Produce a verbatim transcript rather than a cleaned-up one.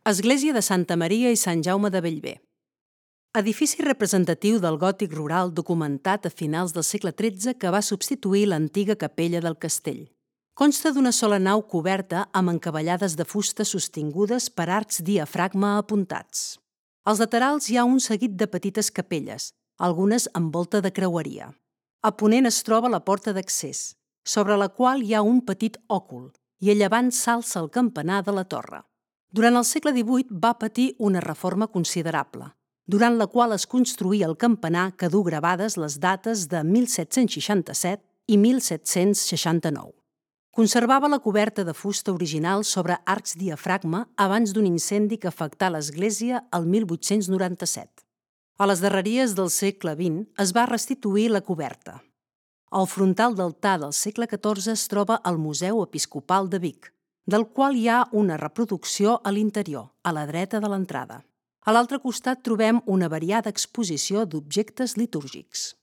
Església de Santa Maria i Sant Jaume de Bellver. Edifici representatiu del gòtic rural documentat a finals del segle tretze que va substituir l'antiga capella del castell. Consta d'una sola nau coberta amb encavallades de fusta sostingudes per arcs diafragma apuntats. Als laterals hi ha un seguit de petites capelles, algunes amb volta de creueria. A ponent es troba la porta d'accés, sobre la qual hi ha un petit òcul, i a llevant s'alça el campanar de la torre. Durant el segle divuit va patir una reforma considerable, durant la qual es construí el campanar que du gravades les dates de mil set-cents seixanta-set i mil set-cents seixanta-nou. Conservava la coberta de fusta original sobre arcs diafragma abans d'un incendi que afectà l'església el mil vuit-cents noranta-set. A les darreries del segle vint es va restituir la coberta. El frontal d'altar del segle catorze es troba al Museu Episcopal de Vic, del qual hi ha una reproducció a l'interior, a la dreta de l'entrada. A l'altre costat trobem una variada exposició d'objectes litúrgics.